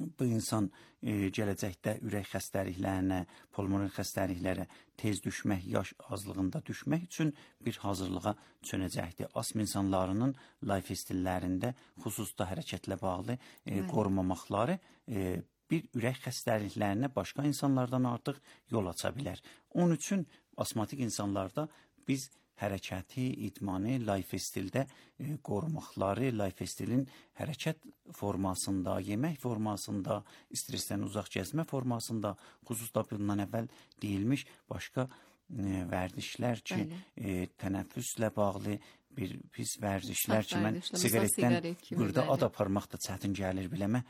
bu insan gələcəkdə ürək xəstəliklərinə, pulmoner xəstəliklərə tez düşmək, yaş azlığında düşmək üçün bir hazırlığa çönəcəkdir. Astm insanlarının life stillərində xüsusda hərəkətlə bağlı qorumamaqları bir ürək xəstəliklərinə başqa insanlardan artıq yol aça bilər. Onun üçün astmatik insanlarda biz hərəkəti, idmanı life stildə qorumaqları, life stilin hərəkət formasında, yemək formasında, stressdən uzaq gəzmə formasında, xüsusda bundan əvvəl deyilmiş başqa vərdişlər ki, tənəffüslə bağlı bir pis vərdişlər ki, mən siqaretdən burada ad aparmaq da çətin gəlir biləmə,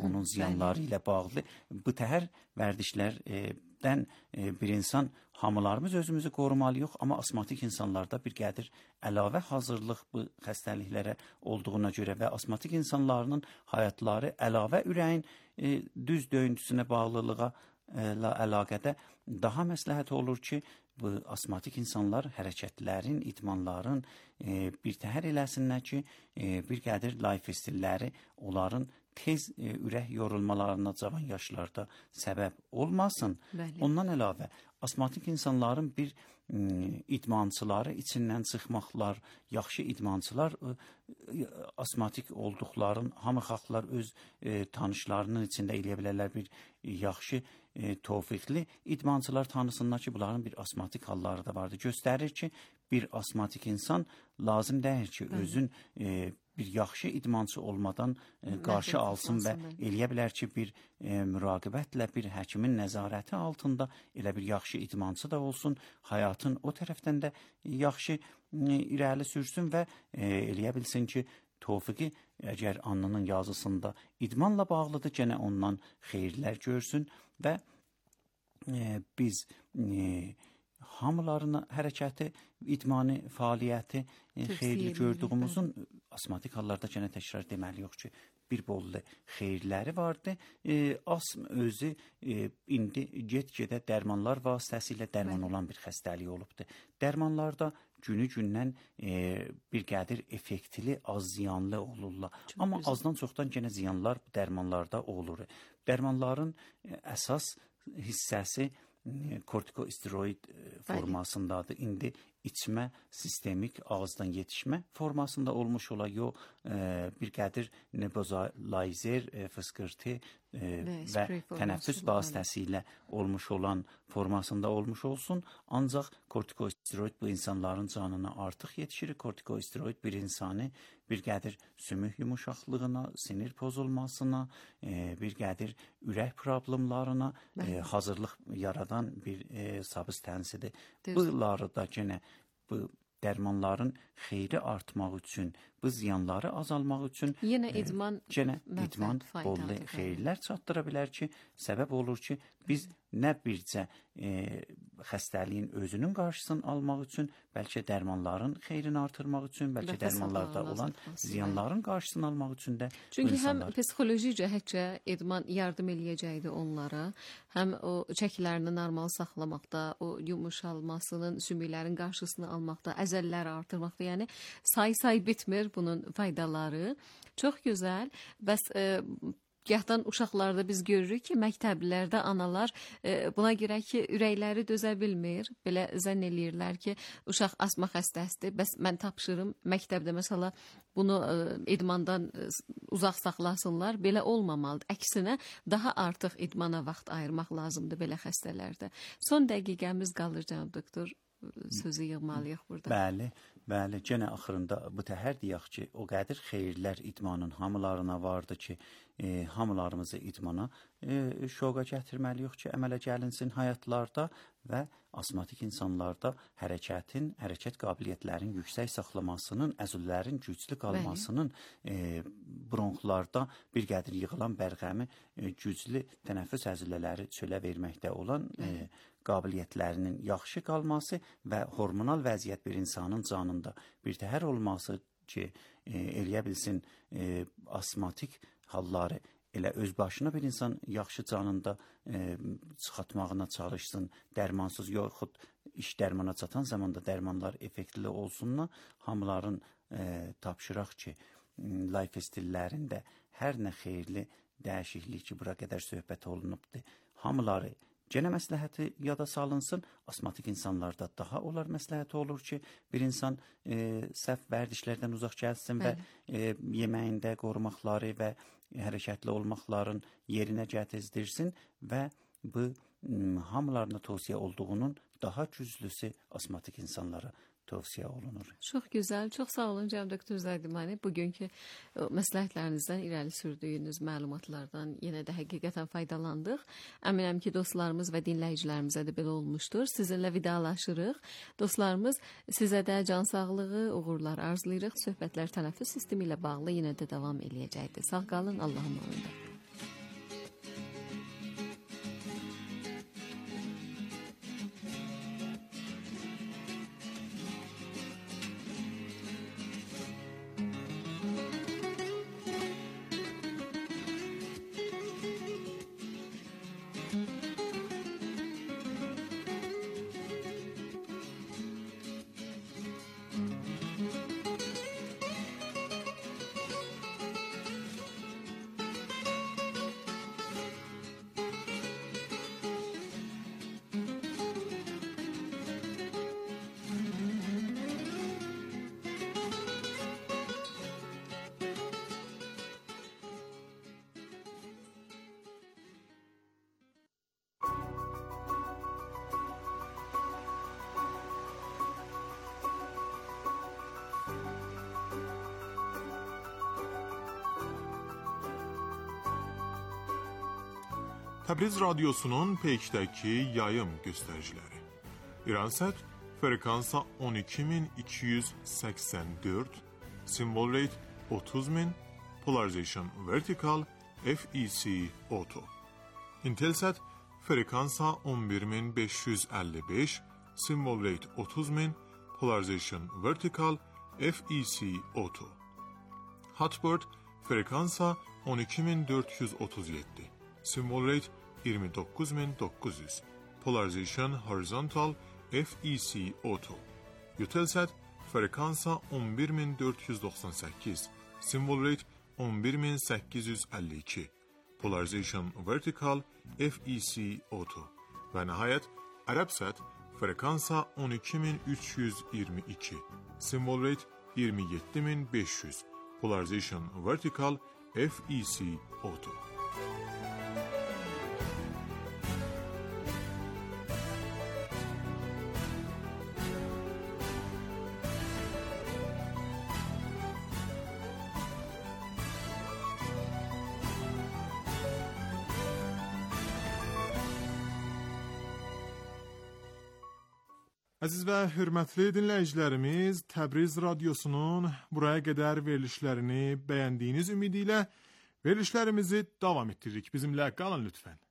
onun ziyanları ilə bağlı. Bu təhər vərdişlərdən bir insan hamılarımız özümüzü qorumalıyıq, amma astmatik insanlarda bir qədir əlavə hazırlıq bu xəstəliklərə olduğuna görə və astmatik insanların həyatları əlavə ürəyin düz döyüntüsünə bağlılığa əlaqədə daha məsləhət olur ki, bu astmatik insanlar hərəkətlərin, idmanların bir təhər eləsinlər ki, bir qədir life stilləri onların tez ürək yorulmalarına cavan yaşlarda səbəb olmasın. Ondan əlavə, astmatik insanların bir idmançıları içindən çıxmaqlar, yaxşı idmançılar astmatik olduqların, hamı xalqlar öz tanışlarının içində eləyə bilərlər bir yaxşı tövfiqli idmançılar tanısınlar ki, bunların bir astmatik halları da vardır. Göstərir ki, bir astmatik insan lazım deyil ki, özün bir yaxşı idmançı olmadan qarşı alsın və eləyə bilər ki, bir müraqibətlə, bir həkimin nəzarəti altında elə bir yaxşı idmançı da olsun, həyatın o tərəfdən də yaxşı irəli sürsün və eləyə bilsin ki, tövfiqi əgər alnının yazısında idmanla bağlıdır, gənə ondan xeyirlər görsün və biz hamılarına hərəkəti, idmanı, fəaliyyəti xeyirli gördüyümüzün astmatik hallarda gənə təkrar deməli yox ki, bir bollu xeyirləri vardı. Astm özü indi get-gedə dərmanlar vasitəsilə dərman olan bir xəstəlik olubdur. Dərmanlarda günü-gündən bir qədir effektli, az ziyanlı olurlar. Amma azdan çoxdan gənə ziyanlar dərmanlarda olur. Dərmanların əsas hissəsi kortikosteroid formasındadır. İndi içmə, sistemik ağızdan yetişmə formasında olmuş ola, yox bir qədir nebuzalizer, fıskırtı və tənəffüs vasitəsilə olmuş olan formasında olmuş olsun. Ancaq kortikosteroid bu insanların canına artıq yetişir. Kortikosteroid bir insanı bir qədir sümük yumuşaqlığına, sinir pozulmasına, bir qədir ürək problemlarına hazırlıq yaradan bir substansidir. Bunları da gənə bu dərmanların xeyri artmaq üçün, bu ziyanları azalmaq üçün yenə idman bollu xeyirlər çatdıra bilər ki, səbəb olur ki, biz nə bircə xəstəliyin özünün qarşısını almaq üçün, bəlkə dərmanların xeyrini artırmaq üçün, bəlkə dərmanlarda olan ziyanların qarşısını almaq üçün də çünki həm psixoloji cəhətcə idman yardım eləyəcəkdir onlara, həm o çəkilərini normal saxlamaqda, o yumuşalmasının, sümüklərin qarşısını almaqda, əzəlləri artırmaqda, yəni say bitmir bunun faydaları. Çox gözəl. Bəs gahdan uşaqlarda biz görürük ki, məktəblərdə analar buna görə ki, ürəkləri dözə bilmir. Belə zənn eləyirlər ki, uşaq astma xəstəsidir. Bəs mən tapşırım məktəbdə məsələ bunu idmandan uzaq saxlasınlar. Belə olmamalıdır. Əksinə daha artıq idmana vaxt ayırmaq lazımdır belə xəstələrdə. Son dəqiqəmiz qalır cənab doktor. Sözü yığmalıyıq burada. Bəli, gənə axırında bu təhər deyək ki, o qədir xeyirlər idmanın hamılarına vardı ki, hamılarımızı idmana şoqa gətirməliyik ki, əmələ gəlinsin həyatlarda və astmatik insanlarda hərəkət qabiliyyətlərin yüksək saxlamasının, əzüllərin güclü qalmasının, bronxlarda bir qədir yığılan bərğəmi güclü tənəffüs əzülələri çölə verməkdə olan qabiliyyətlərinin yaxşı qalması və hormonal vəziyyət bir insanın canında bir təhər olması ki, eləyə bilsin astmatik halları elə öz başına bir insan yaxşı canında çıxartmağına çalışsın, dərmansız yoxud iş dərmana çatan zamanda dərmanlar effektli olsunlar, hamıların tapşıraq ki, life stillərində hər nə xeyirli dəyişiklik ki, bura qədər söhbət olunubdur. Hamıları genə məsləhəti yada salınsın. Asmatik insanlarda daha olar məsləhəti olur ki, bir insan səhv vərdişlərdən uzaq gəlsin və yeməyində qorumaqları və hərəkətli olmaqların yerinə gətizdirsin və bu hamılarına tövsiyə olduğunun daha güclüsü asmatik insanlara tövsiyə olunur. Çox gözəl, çox sağ olun cənab doktor Zaydimani. Bugünkü məsləhətlərinizdən, irəli sürdüyünüz məlumatlardan yenə də həqiqətən faydalandıq. Əminəm ki, dostlarımız və dinləyicilərimizə də belə olmuşdur. Sizinlə vidalaşırıq. Dostlarımız, sizə də can sağlığı, uğurlar arzulayırıq. Söhbətlər tənəffüs sistemi ilə bağlı yenə də davam eləyəcəkdir. Sağ qalın, Allah'a emanet. Təbriz Radyosu'nun peykdəki yayım göstəriciləri. İransat frekansa 12284, symbol rate 30000, polarization vertical, FEC auto. Intelsat frekansa 11555, symbol rate 30000, polarization vertical, FEC auto. Hotbird frekansa 12437, symbol rate 29900, polarization horizontal, FEC auto. Eutelsat frekansa 11498, symbol rate 11852, polarization vertical, FEC auto. Və nəhayət Arabsat frekansa 12322, symbol rate 27500, polarization vertical, FEC auto. Əziz və hörmətli dinləyicilərimiz, Təbriz Radyosu'nun buraya qədər verilişlərini bəyəndiyiniz ümidi ilə verilişlərimizi davam etdiririk. Bizimlə qalın lütfən.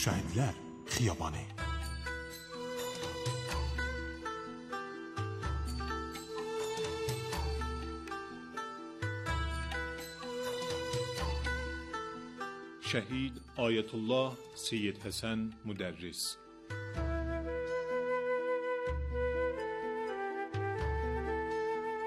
Şəhidlər Xiyabanı. Şəhid Ayətullah Seyyid Həsən Müdərris.